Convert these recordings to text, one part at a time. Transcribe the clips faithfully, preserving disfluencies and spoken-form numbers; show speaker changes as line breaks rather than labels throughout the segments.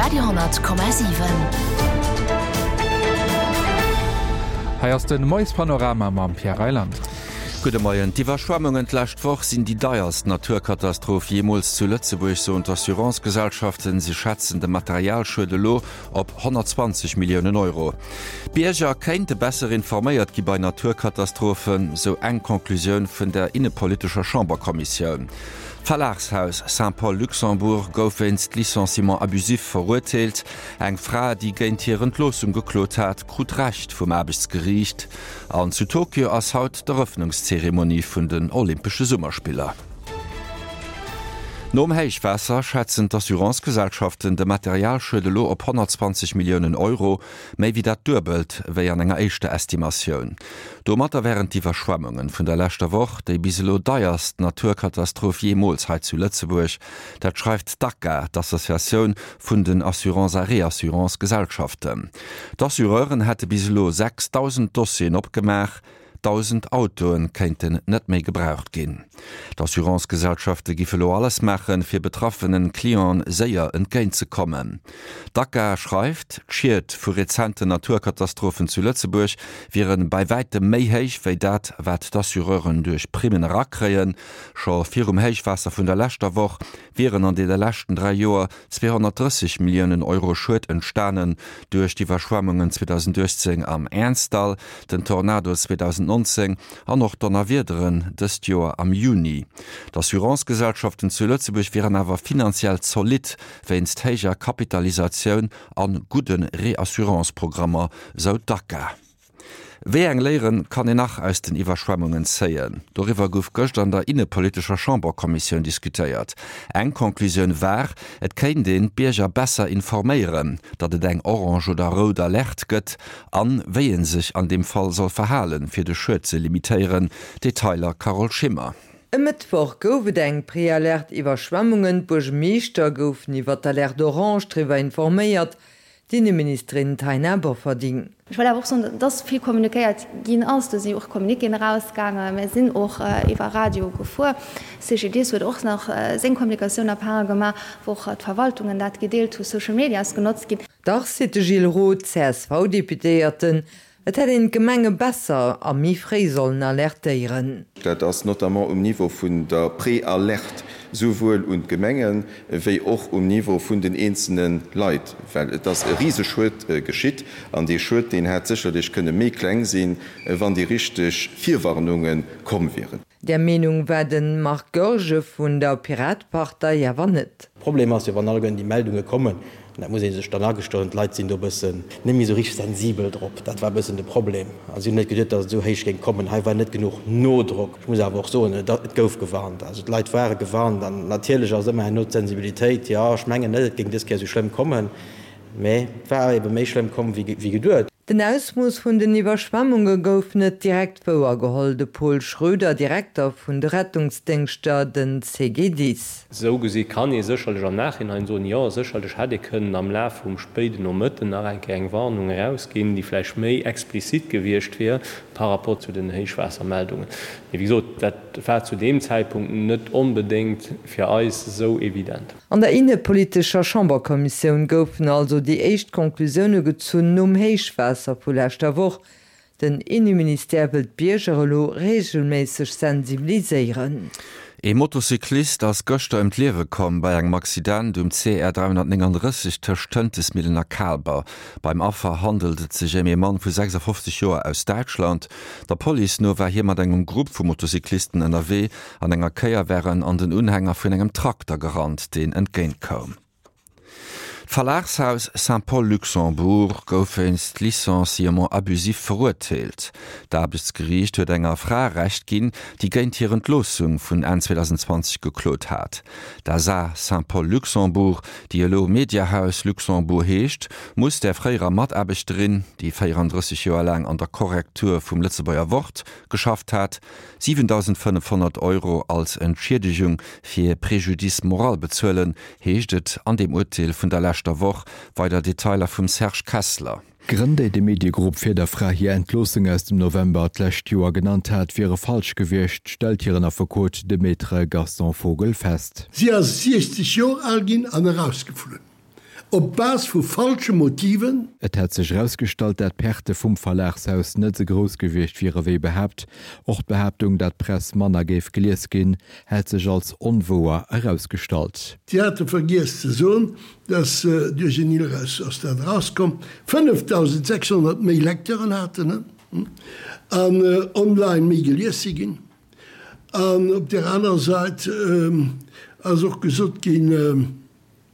Radio honnert Komma siwen.
Hei ass den Moiespanorama mam Pierre Reyland.
Gudde Moien. D'Iwwerschwemmungen d'lescht Woch sinn déi deierst Naturkatastroph jeemools zu Lëtzebuerg, soen d'Assurance-Gesellschaften. Si schätzen de Materialschued elo op honnertzwanzeg Milliounen Euro. D'Bierger kéinte besser informéiert gi bei Naturkatastrophen, sou eng Conclusioun vun der innepolitescher Chamberkommissioun. D'Verlagshaus Saint-Paul Luxembourg gouf wéinst Licenciement abusif verurteelt. Eng Fra, déi géint hir Entloossung geklot hat, krut Recht vum Aarbechtsgeriicht. An zu Tokio ass haut d'Erëffnungszeremonie vun den Olympesche Summerspiller. Nom Héichwaasser schätzen d'Assurance-Gesellschaften de Materialschued elo op honnertzwanzeg Milliounen Euro, méi wéi dat Duebelt wéi an enger éischter Estimatioun. Domatter wären d'Iwwerschwemmunge vun der leschter Woch déi bis elo deierst Naturkatastroph jeemools hei zu Lëtzebuerg. Dat schreift d'ACA, d'Associatioun vun den Assurance a Reassurance-Gesellschaften. D'Assureuren hätte bis elo sechsdausend Dossieren opgemaach. Dausend Autoe kéinten net méi gebraucht ginn. D'Assurance-Gesellschafte giffe lo alles maachen, fir betraffene Clienten séier entgéint ze kommen. D'ACA schreift, d'Schied vu rezenten Naturkatastrophen zu Lëtzebuerg wiere bei wäitem méi héich wéi dat, wat d'Assureuren duerch Primmen erakréien. Scho virum Héichwaasser vun der leschter Woch wieren an deene leschten dräi Joer zweehonnertdrësseg Milliounen Euro Schued entstanen duerch d'Iwwerschwemmungen zweedausendachtzéng am Ernzdall, den Tornado zweedausendnonzéng an och d'Donnerwiederen dëst Joer am Juni. D'Assurance-Gesellschaften zu Lëtzebuerg wieren awer finanziell zolidd wéinst héijer Kapitalisatioun a gudde Reassurance-Programmer, sou d'ACA. Wéi eng Léiere kann een nach aus den Iwwerschwemmungen zéien? Doriwwer gouf gëscht an der innepolitescher Chamberkommissioun diskutéiert. Eng Conclusioun war, et kéint een d'Bierger besser informéieren, datt et eng orange oder rout Alerte gëtt an wéi ee sech an deem Fall soll verhalen, fir de Schued ze limitéieren. Detailer Carole Schimmer.
E Mëttwoch gouf et eng Prealerte Iwwerschwemmungen, d'Buergermeeschter goufen iwwer d'Alerte orange driwwer informéiert, d'Inneministerin Taina Bofferding.
Ech wëll awer och soen, dass vill kommunikéiert ginn ass. Do si och Communiquéen erausgaangen. Mir sinn och iwwer Radio gefuer. C G D S huet och nach seng Kommunikatioun à part gemaach, wou och d'Verwaltungen dat gedeelt hu, Social Media ass genotzt ginn.
Dach, seet de Gilles Roth, C S V-Deputéierten, et hätt een d'Gemenge besser a méi fréi sollen alertéieren.
Dat ass notamment um Niveau vun der Préalerte, souwuel un d'Gemengen, wéi och um Niveau vun den eenzelne Leit, well et ass e Riseschued geschitt an dee Schued, deen hätt sécherlech kënne méi kleng sinn, wann déi richteg Virwarnunge komm wieren.
Där Meenung war de Marc Goergen vun der Piratepartei awer net.
Problem ass jo, wann alleguerten déi Meldunge kommen, an dat muss ee sech dann agestoen, d'Leit sinn do e bëssen net méi esou richteg sensibel drop. Dat war e bëssen de Problem. A si hunn net geduet, datt et esou héich géing kommen. Hei war net genuch Nodrock. Ech muss awer och soen, et gouf gewarnt. Also d'Leit ware gewarnt. An natierlech ass ëmmer herno d'Sensibilitéit, jo, ech mengen net, et géing dës Kéier esou schlëmm kommen, mä et war ebe méi schlëmm komm wéi geduet.
Den Ausmooss vun den Iwwerschwemmunge gouf net direkt wouergeholl. De Paul Schroeder, Direkter vun de Rettungsdéngschter, den C G D I S.
Esou gesi kann ee sécherlech am Nachhinein soen, jo, sécherlech hätt ee kënnen am Laf vum spéiden Nomëtten nach eng Kéier eng Warnung erausginn, déi vläicht méi explizit gewiescht wier par rapport zu den Héichwaassermeldungen. Mee wéi gesot, dat war zu deem Zäitpunkt net onbedéngt fir eis esou evident.
An der innepolitescher Chamberkommissioun goufen also déi éischt Conclusioune gezunn nom Héichwaasser vu leschter Woch. Den Inneministère wëll d'Bierger elo reegelméisseg sensibiliséieren.
Ee Motocyclist ass gëschter ëm d'Liewe komm bei engem Accident um C R dräihonnertnénganddrësseg tëscht Tëntesmillen a Kaalber. Beim Affer handelt et sech ëm ee Mann vu sechsafofzeg Joer aus Däitschland. Der Police no war hie mat engem Grupp vu Motocyclisten ënnerwee. An enger Kéier war en an den Unhänger vun engem Trakter gerannt, deen entgéint koum. D'Verlagshaus Saint-Paul Luxembourg gouf wéinst Licenciement abusif verurteelt. D'Aarbechtsgeriicht huet enger Fra Recht ginn, déi géint hir Entloossung vun Enn zweedausendenzwanzeg geklot hat. D'A S A Saint-Paul Luxembourg, déi elo Mediahaus Luxembourg heescht, muss der fréierer Mataarbechterin, déi véierandrësseg Joer laang an der Korrektur vum Lëtzebuerger Wort geschafft hat, siwendausendfënnefhonnert Euro als Entschiedegung fir Préjudice moral bezuelen, heescht et an dem Urteel vun der leschter Woch. Weider Detailer vum Serge Kessler.
D'Grënn, déi de Mediegrupp fir der Fra hir Entloossung aus dem November d'lescht Joer genannt hat, wiere falsch gewiescht, stellt hiren Affekot, de Maître Gaston Vogel, fest.
Si ass siechzeg Joer al ginn an erausgeflunn.
op Base vu falsche Motiven.
Et hätt sech erausgestallt, dat d'Perte vum Verlagshaus net esou grouss gewiescht wiere wéi behaapt. Och d'Behaaptung, dat d'Press manner géif gelies ginn, hätt sech als onwouer erausgestallt.
Si hate vergiess ze soen, dass, duerch en ILRES ass dat erauskomm, fënnefdausendsechshonnert méi Lecteuren haten an online méi gelies si ginn. An op där anerer Säit ass och gesot ginn,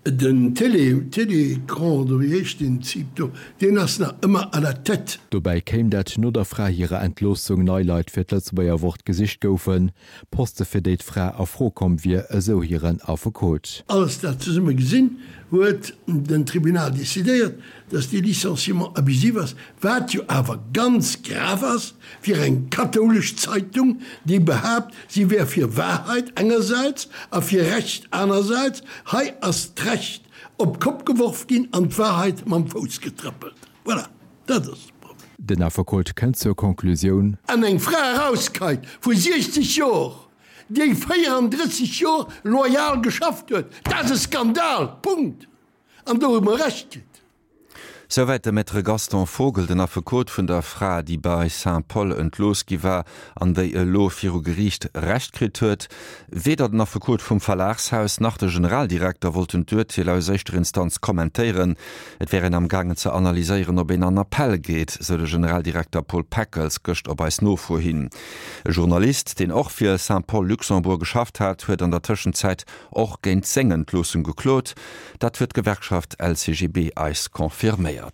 Den Télé, Télécran oder wéi heescht deen Typ do, deen ass nach ëmmer à la tête.
Dobäi kéim, dat no der Fra hirer Entloossung nei Leit fir d'Lëtzebuerger Wort gesicht goufen, Poste fir déi d'Fra a Fro komm wier, esou hiren Affekot.
Alles dat zesumme gesinn, huet den Tribunal decidéiert, dass dee Licenciement abusif ass, wat jo awer ganz grav ass fir eng kathoulesch Zeitung, déi behaapt, si wär fir Wahrheit engersäits a fir Recht anersäits. Hei ass d'Recht op d'Kopp geworf ginn an d'Wahrheit mam Fouss getrëppelt. Voilà, dat ass de Problem.
Den Affekot kënnt zur Konklusioun.
An eng Fra erauskeit vu siechzeg Jor, déi véierandrësseg Jor loyal geschafft huet, dat ass e Skandal! Punkt! An do hu mer Recht kritt.
Souwäit de Maître Gaston Vogel, den Affekot vun der Fra, déi bei Saint-Paul entlooss gi war an déi elo viru Geriicht Recht kritt huet. Weder den Affekot vum Verlagshaus nach de Generaldirekter wollten d'Urteel aus éischter Instanz kommentéieren. Et wär een am gaangen ze analyséieren, ob een an Appell geet, sou de Generaldirekter Paul Peckels gëscht op eis Nofro hin. E Journalist, deen och fir Saint-Paul Luxembourg geschafft hat, huet an der Tëschenzäit och géint seng Entloossung geklot. Dat huet d'Gewerkschaft L C G B eis confirméiert.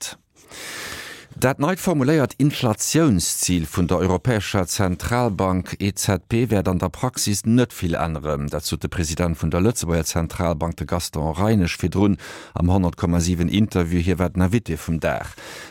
Dat neit formuléiert Inflatiounszil vun der Europäescher Zentralbank E Z B wäert an der Praxis net vill änneren. Dat sot de President vun der Lëtzebuerger Zentralbank, de Gaston Reinesch, virdrun am honnert Komma siwen Interview. Hie war den Invité vum Dag.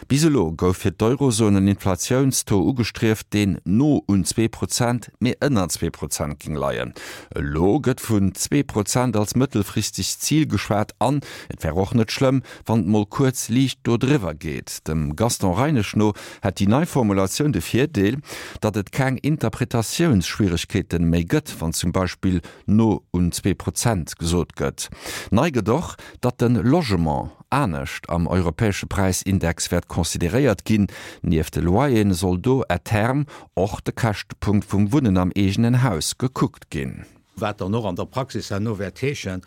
Bis elo gouf fir d'Eurozon en Inflatiounstaux ugestrieft, deen no un zwee Prozent, mee ënner zwee Prozent géing leien. Elo gëtt vun zwee Prozent als mëttelfristegt Zil geschwat an et wär och net schlëmm, wann et mol kuerz liicht do driwwer geet. Dem Gaston Reinesch no hätt déi nei Formulatioun de Virdeel, datt et keng Interpretatiounsschwieregkeeten méi gëtt, wann zum Beispill no un zwee Prozent gesot gëtt. Nei gëtt och, datt de Logement anescht am europäesche Präisindex wäert consideréiert ginn. Nieft de Loyeren soll do à terme och de Käschtepunkt vum Wunnen am eegenen Haus gekuckt ginn.
Wat dann och an der Praxis herno wäert heeschen,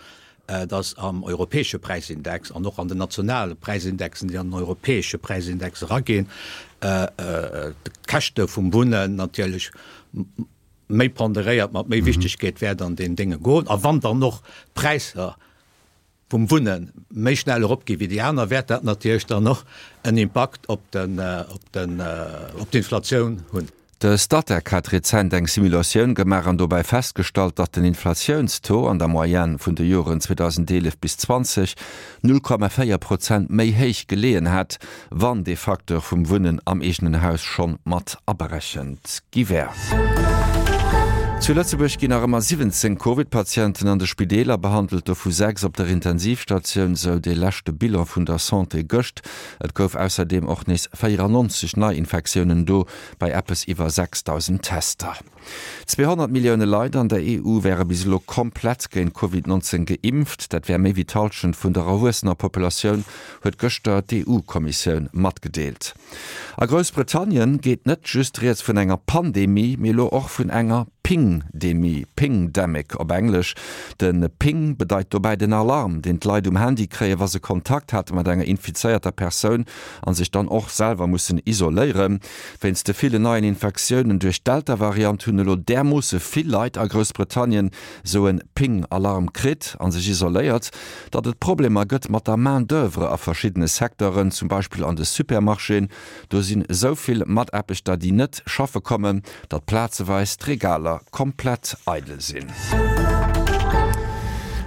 dass am europäesche Präisindex an och an den nationale Präisindexen, déi an den europäesche Präisindex eraginn, d'Käschte vum Wunnen natierlech méi ponderéiert, mat méi Wichtigkeet wäert an deen Dénge goen. A wann dann och d'Präisser vum Wunnen méi schnell eropgi wéi déi aner, wäert dat natierlech dann och en Impakt op den, op den, op d'Inflatioun hunn.
De Statec hat rezent eng Simulatioun gemaach an dobäi festgestallt, datt den Inflatiounstaux an der Moyenne vun de Joren zweedausendeelef bis zwanzeg null Komma véier Prozent méi héich geleeën hätt, wann dee Facteur vum Wunnen am eegenen Haus schonn mat aberechent gi wär. Zu Lëtzebuerg ginn nach ëmmer siwwenzéng Covid-Patienten an de Spideeler behandelt, dovu sechs op der Intensivstatioun, sou dee leschte Bilan vun der Santé gëscht. Et gouf ausserdeem och nees véierannonzeg Neiinfektiounen do bei eppes iwwer sechsdausend Tester. Zweehonnert Millioune Leit an der E U wäre bis elo komplett géint Covid nonzéng geimpft, dat wär méi wéi d'Hallschent vun der erwuessener Populatioun, huet gëschter d'E U-Kommissioun matgedeelt. A Groussbritannien geet net just rieds vun enger Pandemie, mee elo och vun enger Pingdemie, Pingdemic op Englesch. De Ping bedeit dobäi den Alarm, deen d'Leit um Handy kréien, wa se Kontakt hate mat enger infizéierter Persoun a sech dann och selwer mussen isoléieren. Wéinst de villen neien Infektiounen duerch d'Delta-Variant hunn elo därmoosse vill Leit a Groussbritannien sou e Ping-Alarm kritt a sech isoléiert, datt et Problemer gëtt mat der Main d'oeuvre a verschiddene Secteuren, zum Beispill an de Supermarchéen. Do sinn esou vill Mataarbechter, déi net schaffe kommen, datt plazeweis d'Regaler komplett eidel sinn.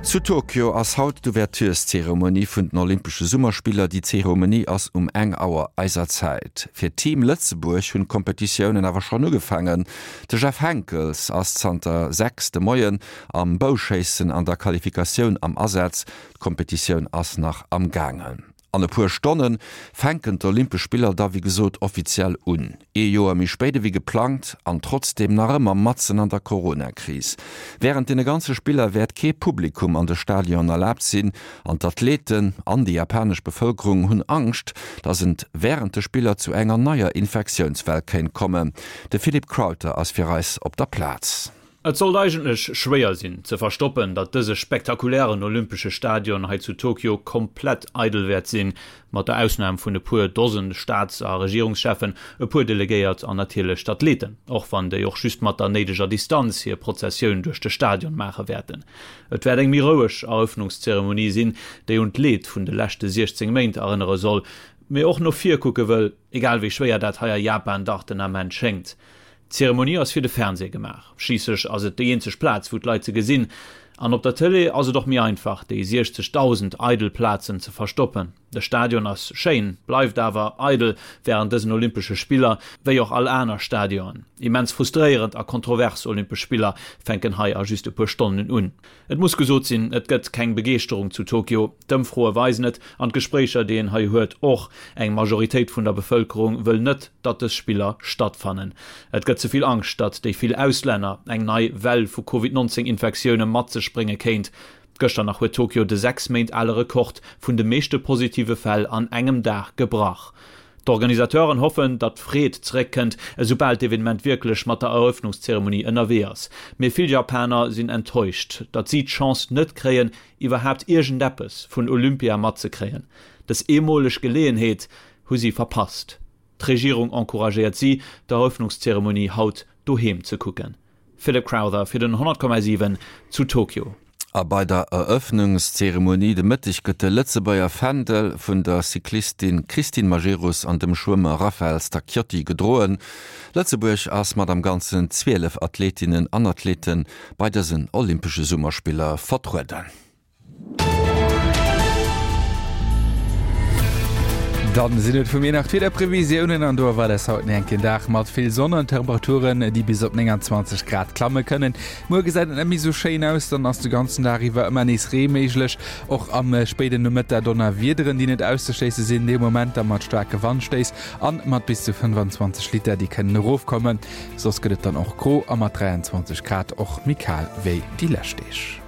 Zu Tokio ass haut d'Ouvertureszeremonie vun den Olympesche Summerspiller. Déi Zeremonie ass um eng Auer eiser Zäit. Fir Team Lëtzebuerg hunn d'Kompetitiounen awer schonn ugefaangen. De Jeff Henckels ass zanter sechs de Moien am Bouschéissen an der Qualifikatioun am Asaz. D'Kompetitioun ass nach am gaangen. An e puer Stonne fänken d'Olympesch Spiller da wéi gesot offiziell un. Ee Joer méi spéit ewéi geplangt an trotzdeem nach ëmmer matzen an der Corona-Kris. Wärend deene ganze Spiller wäert kee Publikum an de Stadionen erlaabt sinn an d'Athleten an déi japanesch Bevëlkerung hunn Angscht, datt et wärend de Spiller zu enger neier Infektiounswell kéint kommen. De Philippe Crowther ass fir eis op der Plaz.
Et sollt eigentlech schwéier sinn, ze verstoppen, datt dëse spektakulären olympesche Stadion hei zu Tokio komplett eidel wäert sinn, mat der Ausnam vun e puer Dosen Staats a Regierungscheffen, e puer Delegéiert an natierlech d'Athleten, och wann déi och just mat der néideger Distanz hir Prozessioun duerch de Stadion maache wäerten. Et wäert eng méi roueg Erëffnungszeremonie sinn, déi un d'Leed vun de leschte siechzéng Méint erënnere soll, mee och no vir kucke wëll, egal wéi schwéier dat hei a Japan dach den Ament schéngt. D'Zeremonie ass fir de Fernseh gemaach, schliisslech ass et déi eenzeg Plaz, wou d'Leit se gesinn. An op der Tëlee ass et och méi einfach, déi siechzegdausend eidel Plazen ze verstoppen. De Stadion ass schéin, bleift awer eidel wärend dësen Olympesche Spiller, wéi och all aner Stadionen. Immens frustréierend a kontrovers Olympesch Spiller fänken hei a just e puer Stonnen un. Et muss gesot sinn, et gëtt keng Begeeschterung zu Tokio. D'Ëmfroe weisen et, an d'Gespréicher, déi een hei huet, och. Eng Majoritéit vun der Bevëlkerung wëll net, datt dës Spiller stattfannen. Et gëtt ze vill Angscht, datt déi vill Auslänner eng nei Well vu Covid nonzéng Infektioune mat sech brénge kéint. Gëschter nach huet Tokio de sechs Méint ale Rekord vun de meeschte positive Fäll an engem Dag gebrach. D'Organisateuren hoffen, datt d'Freed zeréckkënnt, esoubal d'Evenement wierklech mat der Erëffnungszeremonie ënnerwee ass. Mee vill Japaner sinn enttäuscht, datt si d'Chance net kréien, iwwerhaapt iergendeppes vun Olympia matzekréien. Dës eemoleg Geleeënheet hu si verpasst. D'Regierung encouragéiert si, d'Erëffnungszeremonie haut doheem ze kucken. Philip Crowther fir den honnert Komma siwen zu Tokio.
A bei der Erëffnungszeremonie de Mëtteg gëtt de Lëtzebuerger Fändel vun der Cyclistin Christine Majerus an dem Schwëmmer Raphael Stacchiotti gedroen. Lëtzebuerg ass mat am Ganzen zwielef Athletinnen an Athlete bei dësen Olympesche Summerspiller vertrueden.
Dann sinn et vu mir nach d'Wiederprevisiounen an do erwaart eis haut en enken Dag mat vill Sonn an Temperaturen, déi bis op nénganzwanzeg Grad klamme kënnen. Muer gesäit et net méi sou schéin aus, dann ass de ganzen Dag iwwer ëmmer nees Ree méiglech. Och am spéiden Nomëttag Donnerwiederen, déi net auszeschléisse sinn, dee Moment da mat staarke Wandstéiss an mat bis zu fënnefanzwanzeg Liter, déi kënnen erofkommen. Soss gëtt et dann och gro a mat dräianzwanzeg Grad och méi kal wéi déi lescht Deeg.